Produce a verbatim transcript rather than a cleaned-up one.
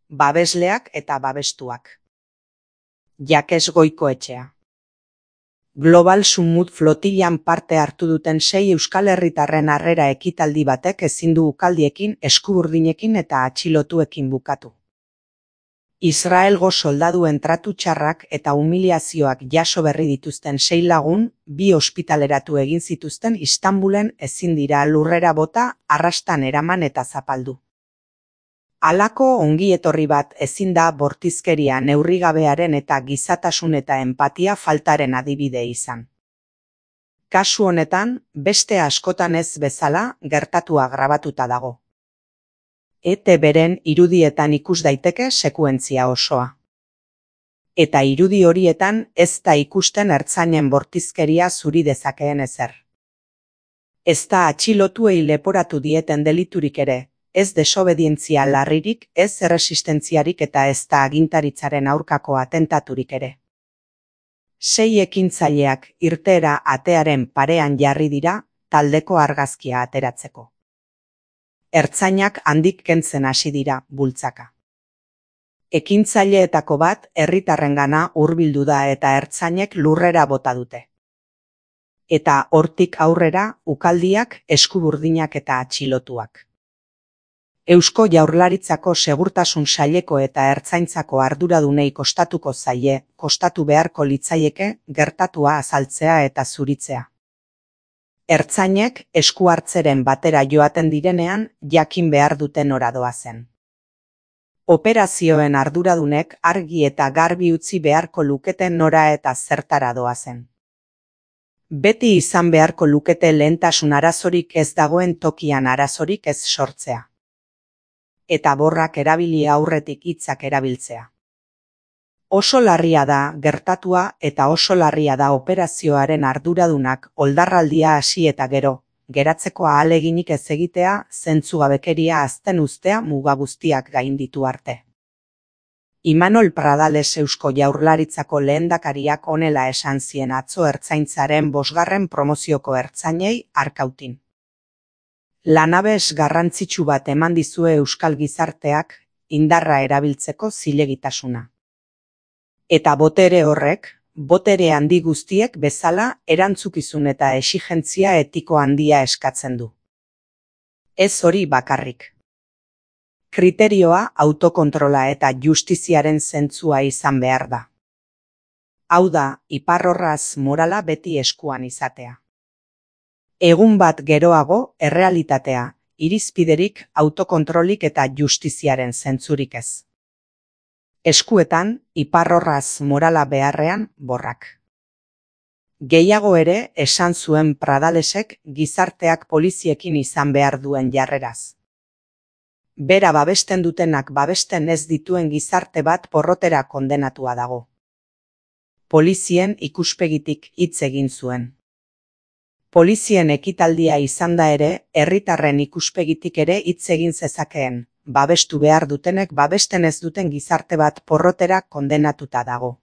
babesleak eta babestuak. Jakes Goikoetxea. Global Summit flotillan parte hartu duten sei Euskal Herritarren harrera ekitaldi batek ezin du ukaldiekin, eskuburdinekin eta atxilotuekin bukatu. Israelgo soldaduen tratu txarrak eta humiliazioak jaso berri dituzten sei lagun, bi ospitaleratu egin zituzten Istanbulen ezin dira lurrera bota, arrastan eraman eta zapaldu. Halako ongietorri bat ezin da bortizkeria neurrigabearen eta gizatasun eta enpatia faltaren adibide izan. Kasu honetan, beste askotan ez bezala, gertatua grabatuta dago. E T Bren irudietan ikus daiteke sekuentzia osoa. Eta irudi horietan ez da ikusten ertzainen bortizkeria zuri dezakeen ezer. Ez da atxilotuei leporatu dieten deliturik ere, ez desobedientzia larririk, ez erresistentziarik eta ez da agintaritzaren aurkako atentaturik ere. Sei ekintzaileak irteera atearen parean jarri dira, taldeko argazkia ateratzeko. Ertzainak handik kentzen hasi dira, bultzaka. Ekintzaileetako bat herritarrengana hurbildu da eta ertzainek lurrera bota dute. Eta hortik aurrera ukaldiak, eskuburdinak eta atxilotuak. Eusko Jaurlaritzako Segurtasun Saileko eta Ertzaintzako arduradunei kostatuko zaie, kostatu beharko litzaieke gertatua azaltzea eta zuritzea. Ertzainek esku hartzeren batera joaten direnean jakin behar duten nora doazen. Operazioen arduradunek argi eta garbi utzi beharko luketen nora eta zertara doazen. Beti izan beharko lukete lehentasun arazorik ez dagoen tokian arazorik ez sortzea. Eta borrak erabili aurretik hitzak erabiltzea. Oso larria da gertatua eta oso larria da operazioaren arduradunak oldarraldia hasi eta gero, geratzeko ahaleginik ez egitea, zentzugabekeria azten uztea muga guztiak gainditu arte. Imanol Pradales Eusko Jaurlaritzako lehendakariak honela esan zien atzo ertzaintzaren bosgarren promozioko ertzainei Arkautin. Lanabes garrantzitsu bat eman dizue euskal gizarteak, indarra erabiltzeko zilegitasuna. Eta botere horrek, botere handi guztiek bezala erantzukizun eta exigentzia etiko handia eskatzen du. Ez hori bakarrik. Kriterioa autokontrola eta justiziaren zentzua izan behar da. Hau da, iparrorraz morala beti eskuan izatea. Egun bat geroago, errealitatea, irizpiderik, autokontrolik eta justiziaren zentzurik ez. Eskuetan, iparrorraz morala beharrean, borrak. Gehiago ere, esan zuen Pradalesek gizarteak poliziekin izan behar duen jarreraz. Bera babesten dutenak babesten ez dituen gizarte bat porrotera kondenatua dago. Polizien ikuspegitik hitz egin zuen. Polizien ekitaldia izan da ere, herritarren ikuspegitik ere hitz egin zezakeen. Babestu behar dutenek babesten ez duten gizarte bat porrotera kondenatuta dago.